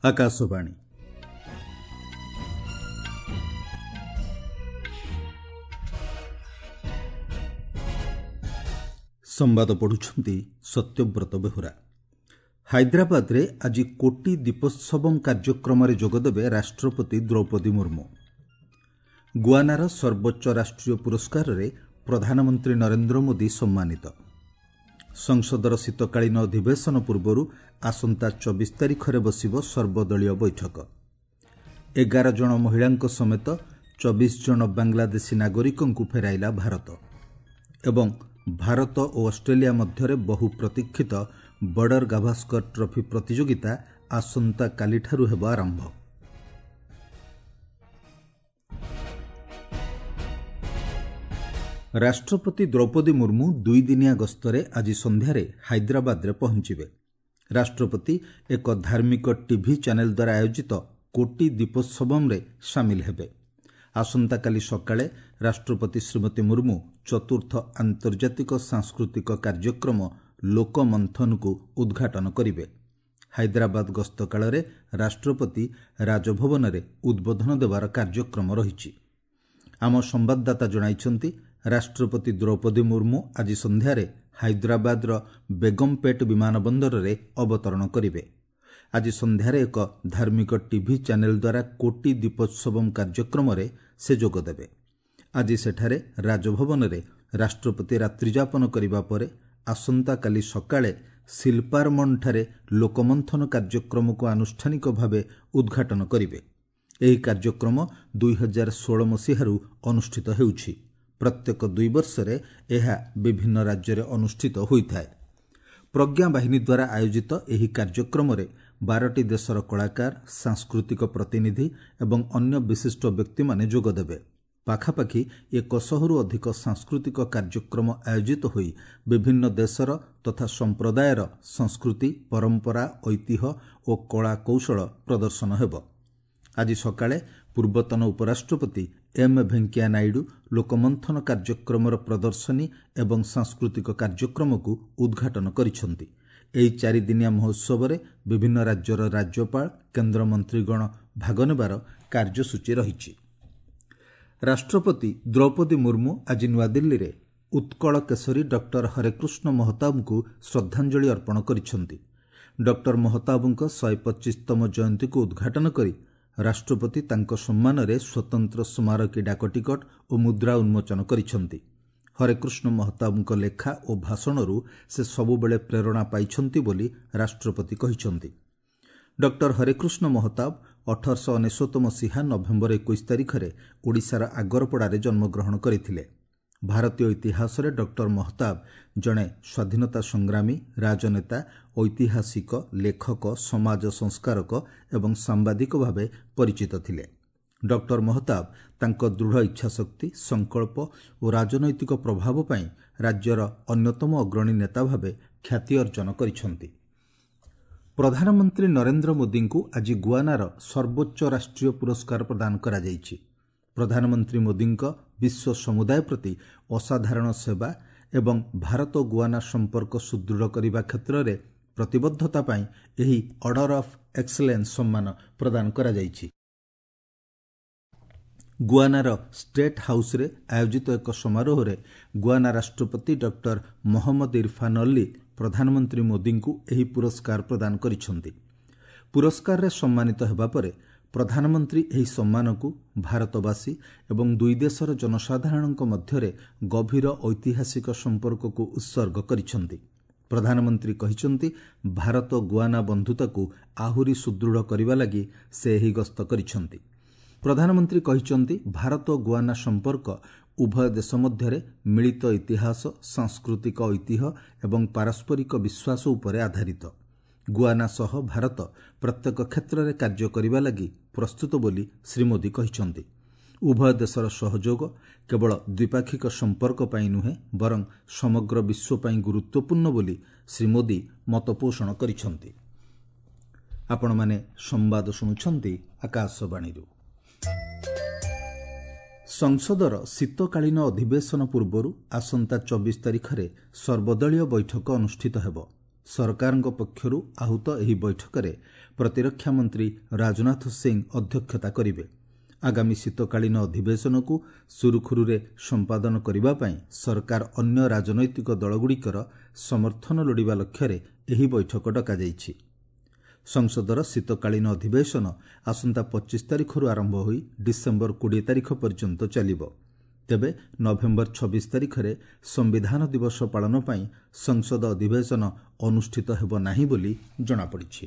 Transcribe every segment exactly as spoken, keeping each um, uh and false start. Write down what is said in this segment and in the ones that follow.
ଆକାଶବାଣୀ ସମ୍ବାଦ ପଢୁଛନ୍ତି ସତ୍ୟବ୍ରତ ବେହୁରା ହାଇଦ୍ରାବାଦରେ ଆଜି କୋଟି ଦୀପୋତ୍ସବମ୍ କାର୍ଯ୍ୟକ୍ରମରେ ଯୋଗଦେବେ ରାଷ୍ଟ୍ରପତି ଦ୍ରୌପଦୀ ମୁର୍ମୁ ଗୁଆନାର ସର୍ବୋଚ୍ଚ ରାଷ୍ଟ୍ରୀୟ ପୁରସ୍କାରରେ ପ୍ରଧାନମନ୍ତ୍ରୀ ନରେନ୍ଦ୍ର ମୋଦି ସମ୍ମାନିତ ସଂସଦର ଶୀତକାଳୀନ ଅଧିବେଶନ ପୂର୍ବରୁ ଆସନ୍ତା ଚବିଶ ତାରିଖରେ ବସିବ ସର୍ବଦଳୀୟ ବୈଠକ ଏଗାର ଜଣ ମହିଳାଙ୍କ ସମେତ ଚବିଶ ଜଣ ବାଂଲାଦେଶୀ ନାଗରିକଙ୍କୁ ଫେରାଇଲା ଭାରତ ଏବଂ ଭାରତ ଓ ଅଷ୍ଟ୍ରେଲିଆ ମଧ୍ୟରେ ବହୁ ପ୍ରତୀକ୍ଷିତ ବର୍ଡର ଗାଭାସ୍କର ଟ୍ରଫି ପ୍ରତିଯୋଗିତା ଆସନ୍ତାକାଲିଠାରୁ ହେବ ଆରମ୍ଭ ରାଷ୍ଟ୍ରପତି ଦ୍ରୌପଦୀ ମୁର୍ମୁ ଦୁଇଦିନିଆ ଗସ୍ତରେ ଆଜି ସନ୍ଧ୍ୟାରେ ହାଇଦ୍ରାବାଦରେ ପହଞ୍ଚିବେ ରାଷ୍ଟ୍ରପତି ଏକ ଧାର୍ମିକ ଟିଭି ଚ୍ୟାନେଲ ଦ୍ୱାରା ଆୟୋଜିତ କୋଟି ଦୀପୋତ୍ସବମ୍ରେ ସାମିଲ ହେବେ ଆସନ୍ତାକାଲି ସକାଳେ ରାଷ୍ଟ୍ରପତି ଶ୍ରୀମତୀ ମୁର୍ମୁ ଚତୁର୍ଥ ଆନ୍ତର୍ଜାତିକ ସାଂସ୍କୃତିକ କାର୍ଯ୍ୟକ୍ରମ ଲୋକମନ୍ଥନକୁ ଉଦ୍ଘାଟନ କରିବେ ହାଇଦ୍ରାବାଦ ଗସ୍ତ କାଳରେ ରାଷ୍ଟ୍ରପତି ରାଜଭବନରେ ଉଦ୍ବୋଧନ ଦେବାର କାର୍ଯ୍ୟକ୍ରମ ରହିଛି ଆମ ସମ୍ବାଦଦାତା ଜଣାଇଛନ୍ତି ରାଷ୍ଟ୍ରପତି ଦ୍ରୌପଦୀ ମୁର୍ମୁ ଆଜି ସନ୍ଧ୍ୟାରେ ହାଇଦ୍ରାବାଦର ବେଗମପେଟ୍ ବିମାନ ବନ୍ଦରରେ ଅବତରଣ କରିବେ ଆଜି ସନ୍ଧ୍ୟାରେ ଏକ ଧାର୍ମିକ ଟିଭି ଚ୍ୟାନେଲ ଦ୍ୱାରା କୋଟି ଦୀପୋତ୍ସବମ୍ କାର୍ଯ୍ୟକ୍ରମରେ ସେ ଯୋଗଦେବେ ଆଜି ସେଠାରେ ରାଜଭବନରେ ରାଷ୍ଟ୍ରପତି ରାତ୍ରିଯାପନ କରିବା ପରେ ଆସନ୍ତାକାଲି ସକାଳେ ଶିଲ୍ପାରମଣଠାରେ ଲୋକମନ୍ଥନ କାର୍ଯ୍ୟକ୍ରମକୁ ଆନୁଷ୍ଠାନିକ ଭାବେ ଉଦ୍ଘାଟନ କରିବେ ଏହି କାର୍ଯ୍ୟକ୍ରମ ଦୁଇହଜାର ଷୋହଳ ମସିହାରୁ ଅନୁଷ୍ଠିତ ହେଉଛି ପ୍ରତ୍ୟେକ ଦୁଇ ବର୍ଷରେ ଏହା ବିଭିନ୍ନ ରାଜ୍ୟରେ ଅନୁଷ୍ଠିତ ହୋଇଥାଏ ପ୍ରଜ୍ଞା ବାହିନୀ ଦ୍ୱାରା ଆୟୋଜିତ ଏହି କାର୍ଯ୍ୟକ୍ରମରେ ବାରଟି ଦେଶର କଳାକାର ସାଂସ୍କୃତିକ ପ୍ରତିନିଧି ଏବଂ ଅନ୍ୟ ବିଶିଷ୍ଟ ବ୍ୟକ୍ତିମାନେ ଯୋଗଦେବେ ପାଖାପାଖି ଏକ ଶହରୁ ଅଧିକ ସାଂସ୍କୃତିକ କାର୍ଯ୍ୟକ୍ରମ ଆୟୋଜିତ ହୋଇ ବିଭିନ୍ନ ଦେଶର ତଥା ସମ୍ପ୍ରଦାୟର ସଂସ୍କୃତି ପରମ୍ପରା ଐତିହ୍ୟ ଓ କଳା କୌଶଳ ପ୍ରଦର୍ଶନ ହେବ ଆଜି ସକାଳେ ପୂର୍ବତନ ଉପରାଷ୍ଟ୍ରପତି ଏମ୍ ଭେଙ୍କିୟା ନାଇଡୁ ଲୋକମନ୍ଥନ କାର୍ଯ୍ୟକ୍ରମର ପ୍ରଦର୍ଶନୀ ଏବଂ ସାଂସ୍କୃତିକ କାର୍ଯ୍ୟକ୍ରମକୁ ଉଦ୍ଘାଟନ କରିଛନ୍ତି ଏହି ଚାରିଦିନିଆ ମହୋତ୍ସବରେ ବିଭିନ୍ନ ରାଜ୍ୟର ରାଜ୍ୟପାଳ କେନ୍ଦ୍ରମନ୍ତ୍ରୀଗଣ ଭାଗ ନେବାର କାର୍ଯ୍ୟସୂଚୀ ରହିଛି ରାଷ୍ଟ୍ରପତି ଦ୍ରୌପଦୀ ମୁର୍ମୁ ଆଜି ନୂଆଦିଲ୍ଲୀରେ ଉତ୍କଳ କେଶରୀ ଡକ୍ଟର ହରେକୃଷ୍ଣ ମହତାବଙ୍କୁ ଶ୍ରଦ୍ଧାଞ୍ଜଳି ଅର୍ପଣ କରିଛନ୍ତି ଡକ୍ଟର ମହତାବଙ୍କ ଶହେ ପଚିଶତମ ଜୟନ୍ତୀକୁ ଉଦ୍ଘାଟନ କରି ରାଷ୍ଟ୍ରପତି ତାଙ୍କ ସମ୍ମାନରେ ସ୍ୱତନ୍ତ୍ର ସ୍ମାରକୀ ଡାକଟିକଟ ଓ ମୁଦ୍ରା ଉନ୍ମୋଚନ କରିଛନ୍ତି ହରେକୃଷ୍ଣ ମହତାବଙ୍କ ଲେଖା ଓ ଭାଷଣରୁ ସେ ସବୁବେଳେ ପ୍ରେରଣା ପାଇଛନ୍ତି ବୋଲି ରାଷ୍ଟ୍ରପତି କହିଛନ୍ତି ଡକ୍ଟର ହରେକୃଷ୍ଣ ମହତାବ ଅଠରଶହ ଅନେଶ୍ୱତ ମସିହା ନଭେମ୍ବର ଏକୋଇଶ ତାରିଖରେ ଓଡ଼ିଶାର ଆଗରପଡ଼ାରେ ଜନ୍ମଗ୍ରହଣ କରିଥିଲେ ଭାରତୀୟ ଇତିହାସରେ ଡକ୍ଟର ମହତାବ ଜଣେ ସ୍ୱାଧୀନତା ସଂଗ୍ରାମୀ ରାଜନେତା ଐତିହାସିକ ଲେଖକ ସମାଜ ସଂସ୍କାରକ ଏବଂ ସାମ୍ବାଦିକ ଭାବେ ପରିଚିତ ଥିଲେ ଡକ୍ଟର ମହତାବ ତାଙ୍କ ଦୃଢ଼ ଇଚ୍ଛାଶକ୍ତି ସଂକଳ୍ପ ଓ ରାଜନୈତିକ ପ୍ରଭାବ ପାଇଁ ରାଜ୍ୟର ଅନ୍ୟତମ ଅଗ୍ରଣୀ ନେତା ଭାବେ ଖ୍ୟାତି ଅର୍ଜନ କରିଛନ୍ତି ପ୍ରଧାନମନ୍ତ୍ରୀ ନରେନ୍ଦ୍ର ମୋଦିଙ୍କୁ ଆଜି ଗୁଆନାର ସର୍ବୋଚ୍ଚ ରାଷ୍ଟ୍ରୀୟ ପୁରସ୍କାର ପ୍ରଦାନ କରାଯାଇଛି ପ୍ରଧାନମନ୍ତ୍ରୀ ମୋଦିଙ୍କ ବିଶ୍ୱ ସମୁଦାୟ ପ୍ରତି ଅସାଧାରଣ ସେବା ଏବଂ ଭାରତ ଗୁଆନା ସମ୍ପର୍କ ସୁଦୃଢ଼ କରିବା କ୍ଷେତ୍ରରେ ପ୍ରତିବଦ୍ଧତା ପାଇଁ ଏହି ଅର୍ଡର ଅଫ୍ ଏକ୍ସଲେନ୍ସ ସମ୍ମାନ ପ୍ରଦାନ କରାଯାଇଛି ଗୁଆନାର ଷ୍ଟେଟ୍ ହାଉସ୍ରେ ଆୟୋଜିତ ଏକ ସମାରୋହରେ ଗୁଆନା ରାଷ୍ଟ୍ରପତି ଡକ୍ଟର ମହମ୍ମଦ ଇରଫାନ୍ ଅଲ୍ଲୀ ପ୍ରଧାନମନ୍ତ୍ରୀ ମୋଦିଙ୍କୁ ଏହି ପୁରସ୍କାର ପ୍ରଦାନ କରିଛନ୍ତି ପୁରସ୍କାରରେ ସମ୍ମାନିତ ହେବା ପରେ ପ୍ରଧାନମନ୍ତ୍ରୀ ଏହି ସମ୍ମାନକୁ ଭାରତବାସୀ ଏବଂ ଦୁଇ ଦେଶର ଜନସାଧାରଣଙ୍କ ମଧ୍ୟରେ ଗଭୀର ଐତିହାସିକ ସମ୍ପର୍କକୁ ଉତ୍ସର୍ଗ କରିଛନ୍ତି ପ୍ରଧାନମନ୍ତ୍ରୀ କହିଛନ୍ତି ଭାରତ ଗୁଆନା ବନ୍ଧୁତାକୁ ଆହୁରି ସୁଦୃଢ଼ କରିବା ଲାଗି ସେ ଏହି ଗସ୍ତ କରିଛନ୍ତି ପ୍ରଧାନମନ୍ତ୍ରୀ କହିଛନ୍ତି ଭାରତ ଗୁଆନା ସମ୍ପର୍କ ଉଭୟ ଦେଶ ମଧ୍ୟରେ ମିଳିତ ଇତିହାସ ସାଂସ୍କୃତିକ ଐତିହ୍ୟ ଏବଂ ପାରସ୍ପରିକ ବିଶ୍ୱାସ ଉପରେ ଆଧାରିତ ଗୁଆନା ସହ ଭାରତ ପ୍ରତ୍ୟେକ କ୍ଷେତ୍ରରେ କାର୍ଯ୍ୟ କରିବା ଲାଗି ପ୍ରସ୍ତୁତ ବୋଲି ଶ୍ରୀ ମୋଦି କହିଛନ୍ତି ଉଭୟ ଦେଶର ସହଯୋଗ କେବଳ ଦ୍ୱିପାକ୍ଷିକ ସମ୍ପର୍କ ପାଇଁ ନୁହେଁ ବରଂ ସମଗ୍ର ବିଶ୍ୱ ପାଇଁ ଗୁରୁତ୍ୱପୂର୍ଣ୍ଣ ବୋଲି ଶ୍ରୀ ମୋଦି ମତପୋଷଣ କରିଛନ୍ତି ଆପଣମାନେ ସମ୍ବାଦ ଶୁଣୁଛନ୍ତି ଆକାଶବାଣୀରୁ ସଂସଦର ଶୀତକାଳୀନ ଅଧିବେଶନ ପୂର୍ବରୁ ଆସନ୍ତା ଚବିଶ ତାରିଖରେ ସର୍ବଦଳୀୟ ବୈଠକ ଅନୁଷ୍ଠିତ ହେବ ସରକାରଙ୍କ ପକ୍ଷରୁ ଆହୁତ ଏହି ବୈଠକରେ ପ୍ରତିରକ୍ଷା ମନ୍ତ୍ରୀ ରାଜନାଥ ସିଂ ଅଧ୍ୟକ୍ଷତା କରିବେ। ଆଗାମୀ ଶୀତକାଳୀନ ଅଧିବେଶନକୁ ସୁରୁଖୁରୁରେ ସମ୍ପାଦନ କରିବା ପାଇଁ ସରକାର ଅନ୍ୟ ରାଜନୈତିକ ଦଳଗୁଡ଼ିକର ସମର୍ଥନ ଲୋଡ଼ିବା ଲକ୍ଷ୍ୟରେ ଏହି ବୈଠକ ଡକାଯାଇଛି। ସଂସଦର ଶୀତକାଳୀନ ଅଧିବେଶନ ଆସନ୍ତା ପଚିଶ ତାରିଖରୁ ଆରମ୍ଭ ହୋଇ ଡିସେମ୍ବର କୋଡ଼ିଏ ତାରିଖ ପର୍ଯ୍ୟନ୍ତ ଚାଲିବ। ତେବେ ନଭେମ୍ବର ଛବିଶ ତାରିଖରେ ସମ୍ବିଧାନ ଦିବସ ପାଳନ ପାଇଁ ସଂସଦ ଅଧିବେଶନ ଅନୁଷ୍ଠିତ ହେବ ନାହିଁ ବୋଲି ଜଣାପଡ଼ିଛି।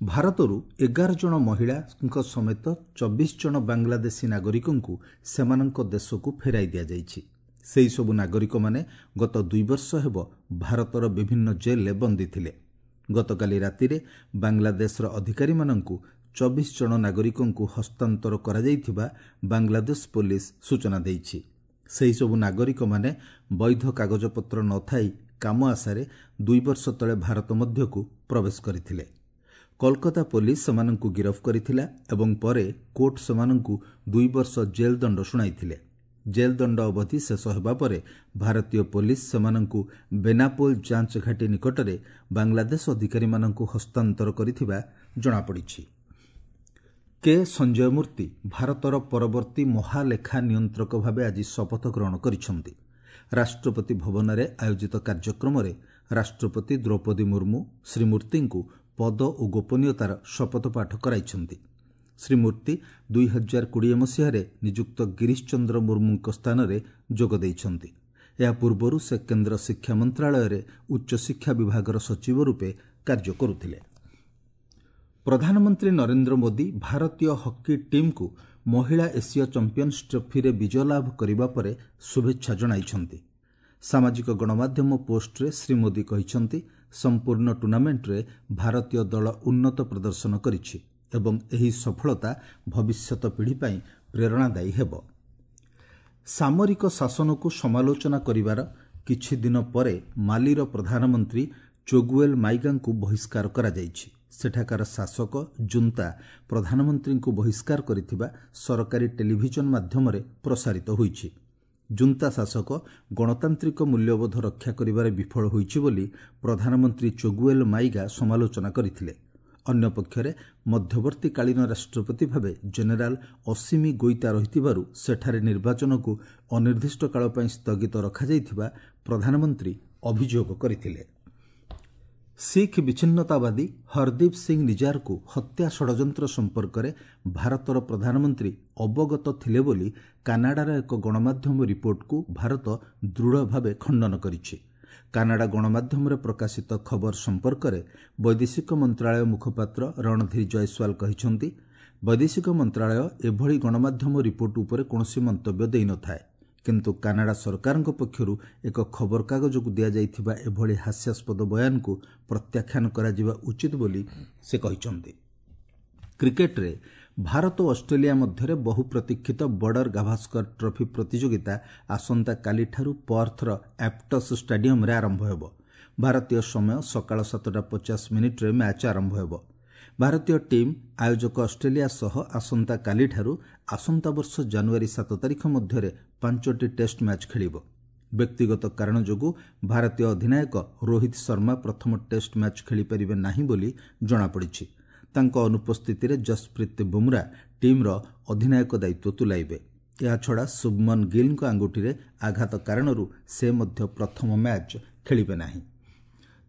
ଭାରତରୁ ଏଗାର ଜଣ ମହିଳାଙ୍କ ସମେତ ଚବିଶ ଜଣ ବାଂଲାଦେଶୀ ନାଗରିକଙ୍କୁ ସେମାନଙ୍କ ଦେଶକୁ ଫେରାଇ ଦିଆଯାଇଛି। ସେହିସବୁ ନାଗରିକମାନେ ଗତ ଦୁଇ ବର୍ଷ ହେବ ଭାରତର ବିଭିନ୍ନ ଜେଲ୍ରେ ବନ୍ଦୀ ଥିଲେ। ଗତକାଲି ରାତିରେ ବାଂଲାଦେଶର ଅଧିକାରୀମାନଙ୍କୁ ଚବିଶ ଜଣ ନାଗରିକଙ୍କୁ ହସ୍ତାନ୍ତର କରାଯାଇଥିବା ବାଂଲାଦେଶ ପୋଲିସ ସୂଚନା ଦେଇଛି। ସେହିସବୁ ନାଗରିକମାନେ ବୈଧ କାଗଜପତ୍ର ନଥାଇ କାମ ଆଶାରେ ଦୁଇ ବର୍ଷ ତଳେ ଭାରତ ମଧ୍ୟକୁ ପ୍ରବେଶ କରିଥିଲେ। କୋଲକାତା ପୋଲିସ ସେମାନଙ୍କୁ ଗିରଫ କରିଥିଲା ଏବଂ ପରେ କୋର୍ଟ ସେମାନଙ୍କୁ ଦୁଇ ବର୍ଷ ଜେଲ୍ ଦଣ୍ଡ ଶୁଣାଇଥିଲେ। ଜେଲ୍ ଦଣ୍ଡ ଅବଧି ଶେଷ ହେବା ପରେ ଭାରତୀୟ ପୋଲିସ ସେମାନଙ୍କୁ ବେନାପୋଲ ଯାଞ୍ଚ ଘାଟି ନିକଟରେ ବାଂଲାଦେଶ ଅଧିକାରୀମାନଙ୍କୁ ହସ୍ତାନ୍ତର କରିଥିବା ଜଣାପଡ଼ିଛି। କେ ସଞ୍ଜୟ ମୂର୍ତ୍ତି ଭାରତର ପରବର୍ତ୍ତୀ ମହାଲେଖା ନିୟନ୍ତ୍ରକ ଭାବେ ଆଜି ଶପଥ ଗ୍ରହଣ କରିଛନ୍ତି। ରାଷ୍ଟ୍ରପତି ଭବନରେ ଆୟୋଜିତ କାର୍ଯ୍ୟକ୍ରମରେ ରାଷ୍ଟ୍ରପତି ଦ୍ରୌପଦୀ ମୁର୍ମୁ ଶ୍ରୀ ମୂର୍ତ୍ତିଙ୍କୁ ପଦ ଓ ଗୋପନୀୟତାର ଶପଥ ପାଠ କରାଇଛନ୍ତି। ଶ୍ରୀ ମୂର୍ତ୍ତି ଦୁଇ ହଜାର କୋଡ଼ିଏ ମସିହାରେ ନିଯୁକ୍ତ ଗିରିଶ ଚନ୍ଦ୍ର ମୁର୍ମୁଙ୍କ ସ୍ଥାନରେ ଯୋଗ ଦେଇଛନ୍ତି। ଏହା ପୂର୍ବରୁ ସେ କେନ୍ଦ୍ର ଶିକ୍ଷା ମନ୍ତ୍ରାଳୟରେ ଉଚ୍ଚଶିକ୍ଷା ବିଭାଗର ସଚିବ ରୂପେ କାର୍ଯ୍ୟ କରୁଥିଲେ। ପ୍ରଧାନମନ୍ତ୍ରୀ ନରେନ୍ଦ୍ର ମୋଦି ଭାରତୀୟ ହକି ଟିମ୍କୁ ମହିଳା ଏସୀୟ ଚାମ୍ପିୟନ୍ସ ଟ୍ରଫିରେ ବିଜୟ ଲାଭ କରିବା ପରେ ଶୁଭେଚ୍ଛା ଜଣାଇଛନ୍ତି। ସାମାଜିକ ଗଣମାଧ୍ୟମ ପୋଷ୍ଟରେ ଶ୍ରୀ ମୋଦି କହିଛନ୍ତି, ସମ୍ପୂର୍ଣ୍ଣ ଟୁର୍ଣ୍ଣାମେଣ୍ଟରେ ଭାରତୀୟ ଦଳ ଉନ୍ନତ ପ୍ରଦର୍ଶନ କରିଛି ଏବଂ ଏହି ସଫଳତା ଭବିଷ୍ୟତ ପିଢ଼ି ପାଇଁ ପ୍ରେରଣାଦାୟୀ ହେବ। ସାମରିକ ଶାସନକୁ ସମାଲୋଚନା କରିବାର କିଛି ଦିନ ପରେ ମାଲିର ପ୍ରଧାନମନ୍ତ୍ରୀ ଚୋଗୁଏଲ୍ ମାଇଗାଙ୍କୁ ବହିଷ୍କାର କରାଯାଇଛି। ସେଠାକାର ଶାସକ ଜୁନ୍ତା ପ୍ରଧାନମନ୍ତ୍ରୀଙ୍କୁ ବହିଷ୍କାର କରିଥିବା ସରକାରୀ ଟେଲିଭିଜନ ମାଧ୍ୟମରେ ପ୍ରସାରିତ ହୋଇଛି। ଜୁନ୍ତା ଶାସକ ଗଣତାନ୍ତ୍ରିକ ମୂଲ୍ୟବୋଧ ରକ୍ଷା କରିବାରେ ବିଫଳ ହୋଇଛି ବୋଲି ପ୍ରଧାନମନ୍ତ୍ରୀ ଚୋଗୁଏଲ୍ ମାଇଗା ସମାଲୋଚନା କରିଥିଲେ। ଅନ୍ୟପକ୍ଷରେ ମଧ୍ୟବର୍ତ୍ତୀକାଳୀନ ରାଷ୍ଟ୍ରପତି ଭାବେ ଜେନେରାଲ ଅସିମି ଗୋଇତା ରହିଥିବାରୁ ସେଠାରେ ନିର୍ବାଚନକୁ ଅନିର୍ଦ୍ଦିଷ୍ଟ କାଳ ପାଇଁ ସ୍ଥଗିତ ରଖାଯାଇଥିବା ପ୍ରଧାନମନ୍ତ୍ରୀ ଅଭିଯୋଗ କରିଥିଲେ। ଶିଖ୍ ବିଚ୍ଛିନ୍ନତାବାଦୀ ହରଦୀପ ସିଂ ନିଜାରକୁ ହତ୍ୟା ଷଡ଼ଯନ୍ତ୍ର ସମ୍ପର୍କରେ ଭାରତର ପ୍ରଧାନମନ୍ତ୍ରୀ ଅବଗତ ଥିଲେ ବୋଲି କାନାଡାର ଏକ ଗଣମାଧ୍ୟମ ରିପୋର୍ଟକୁ ଭାରତ ଦୃଢ଼ ଭାବେ ଖଣ୍ଡନ କରିଛି। କାନାଡା ଗଣମାଧ୍ୟମରେ ପ୍ରକାଶିତ ଖବର ସମ୍ପର୍କରେ ବୈଦେଶିକ ମନ୍ତ୍ରାଳୟ ମୁଖପାତ୍ର ରଣଧୀର ଜୟସ୍ୱାଲ କହିଛନ୍ତି, ବୈଦେଶିକ ମନ୍ତ୍ରାଳୟ ଏଭଳି ଗଣମାଧ୍ୟମ ରିପୋର୍ଟ ଉପରେ କୌଣସି ମନ୍ତବ୍ୟ ଦେଇନଥାଏ, କିନ୍ତୁ କାନାଡା ସରକାରଙ୍କ ପକ୍ଷରୁ ଏକ ଖବରକାଗଜକୁ ଦିଆଯାଇଥିବା ଏଭଳି ହାସ୍ୟାସ୍ପଦ ବୟାନକୁ ପ୍ରତ୍ୟାଖ୍ୟାନ କରାଯିବା ଉଚିତ ବୋଲି ସେ କହିଛନ୍ତି। କ୍ରିକେଟରେ ଭାରତ ଓ ଅଷ୍ଟ୍ରେଲିଆ ମଧ୍ୟରେ ବହୁ ପ୍ରତୀକ୍ଷିତ ବର୍ଡର ଗାଭାସ୍କର ଟ୍ରଫି ପ୍ରତିଯୋଗିତା ଆସନ୍ତାକାଲିଠାରୁ ପର୍ଥର ଆପ୍ଟସ୍ ଷ୍ଟାଡିୟମରେ ଆରମ୍ଭ ହେବ। ଭାରତୀୟ ସମୟ ସକାଳ ସାତଟା ପଚାଶ ମିନିଟ୍ରେ ମ୍ୟାଚ୍ ଆରମ୍ଭ ହେବ। ଭାରତୀୟ ଟିମ୍ ଆୟୋଜକ ଅଷ୍ଟ୍ରେଲିଆ ସହ ଆସନ୍ତାକାଲିଠାରୁ ଆସନ୍ତା ବର୍ଷ ଜାନୁଆରୀ ସାତ ତାରିଖ ମଧ୍ୟରେ ପାଞ୍ଚଟି ଟେଷ୍ଟ ମ୍ୟାଚ୍ ଖେଳିବ। ବ୍ୟକ୍ତିଗତ କାରଣ ଯୋଗୁଁ ଭାରତୀୟ ଅଧିନାୟକ ରୋହିତ ଶର୍ମା ପ୍ରଥମ ଟେଷ୍ଟ ମ୍ୟାଚ୍ ଖେଳିପାରିବେ ନାହିଁ ବୋଲି ଜଣାପଡ଼ିଛି। ତାଙ୍କ ଅନୁପସ୍ଥିତିରେ ଜସପ୍ରୀତ ବୁମ୍ରା ଟିମ୍ର ଅଧିନାୟକ ଦାୟିତ୍ୱ ତୁଲାଇବେ। ଏହାଛଡ଼ା ଶୁଭମନ ଗିଲ୍ଙ୍କ ଆଙ୍ଗୁଠିରେ ଆଘାତ କାରଣରୁ ସେ ମଧ୍ୟ ପ୍ରଥମ ମ୍ୟାଚ୍ ଖେଳିବେ ନାହିଁ।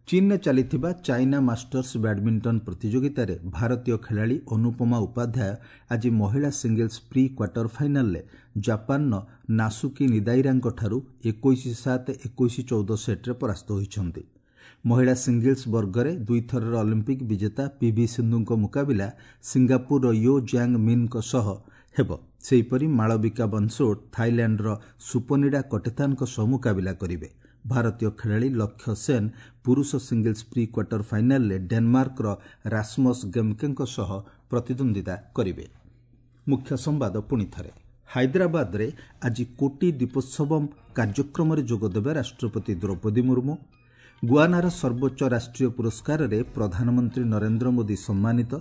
ଚୀନରେ ଚାଲିଥିବା ଚାଇନା ମାଷ୍ଟର୍ସ ବ୍ୟାଡମିଣ୍ଟନ ପ୍ରତିଯୋଗିତାରେ ଭାରତୀୟ ଖେଳାଳି ଅନୁପମା ଉପାଧ୍ୟାୟ ଆଜି ମହିଳା ସିଙ୍ଗଲ୍ସ ପ୍ରି କ୍ୱାର୍ଟର ଫାଇନାଲରେ ଜାପାନର ନାସୁକି ନିଦାଇରାଙ୍କଠାରୁ ଏକୋଇଶ ସାତ, ଏକୋଇଶ ଚଉଦ ସେଟ୍ରେ ପରାସ୍ତ ହୋଇଛନ୍ତି। ମହିଳା ସିଙ୍ଗଲ୍ସ ବର୍ଗରେ ଦୁଇଥରର ଅଲିମ୍ପିକ୍ ବିଜେତା ପିଭି ସିନ୍ଧୁଙ୍କ ମୁକାବିଲା ସିଙ୍ଗାପୁରର ୟୋ ଜାଙ୍ଗ ମିନ୍ଙ୍କ ସହ ହେବ। ସେହିପରି ମାଳବିକା ବନ୍ସୋଡ୍ ଥାଇଲ୍ୟାଣ୍ଡର ସୁପନିଡା କଟେଥାନଙ୍କ ସହ ମୁକାବିଲା କରିବେ। ଭାରତୀୟ ଖେଳାଳି ଲକ୍ଷ୍ୟ ସେନ୍ ପୁରୁଷ ସିଙ୍ଗଲ୍ସ ପ୍ରି କ୍ୱାର୍ଟର ଫାଇନାଲରେ ଡେନମାର୍କର ରାସମସ୍ ଗେମ୍କେଙ୍କ ସହ ପ୍ରତିଦ୍ୱନ୍ଦ୍ୱିତା କରିବେ। ମୁଖ୍ୟ ସମ୍ବାଦ ପୁଣି ଥରେ। ହାଇଦ୍ରାବାଦରେ ଆଜି କୋଟି ଦୀପୋତ୍ସବମ୍ କାର୍ଯ୍ୟକ୍ରମରେ ଯୋଗଦେବେ ରାଷ୍ଟ୍ରପତି ଦ୍ରୌପଦୀ ମୁର୍ମୁ। ଗୁଆନାର ସର୍ବୋଚ୍ଚ ରାଷ୍ଟ୍ରୀୟ ପୁରସ୍କାରରେ ପ୍ରଧାନମନ୍ତ୍ରୀ ନରେନ୍ଦ୍ର ମୋଦି ସମ୍ମାନିତ।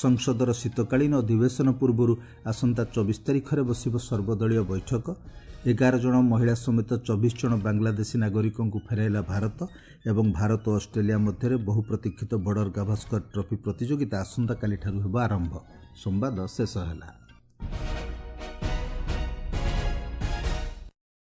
ସଂସଦର ଶୀତକାଳୀନ ଅଧିବେଶନ ପୂର୍ବରୁ ଆସନ୍ତା ଚବିଶ ତାରିଖରେ ବସିବ ସର୍ବଦଳୀୟ ବୈଠକ। ଏଗାର ଜଣ ମହିଳା ସମେତ ଚବିଶ ଜଣ ବାଂଲାଦେଶୀ ନାଗରିକଙ୍କୁ ଫେରାଇଲା ଭାରତ ଏବଂ ଭାରତ ଓ ଅଷ୍ଟ୍ରେଲିଆ ମଧ୍ୟରେ ବହୁ ପ୍ରତୀକ୍ଷିତ ବର୍ଡର ଗାଭାସ୍କର ଟ୍ରଫି ପ୍ରତିଯୋଗିତା ଆସନ୍ତାକାଲିଠାରୁ ହେବ ଆରମ୍ଭ। ସମ୍ବାଦ ଶେଷ ହେଲା।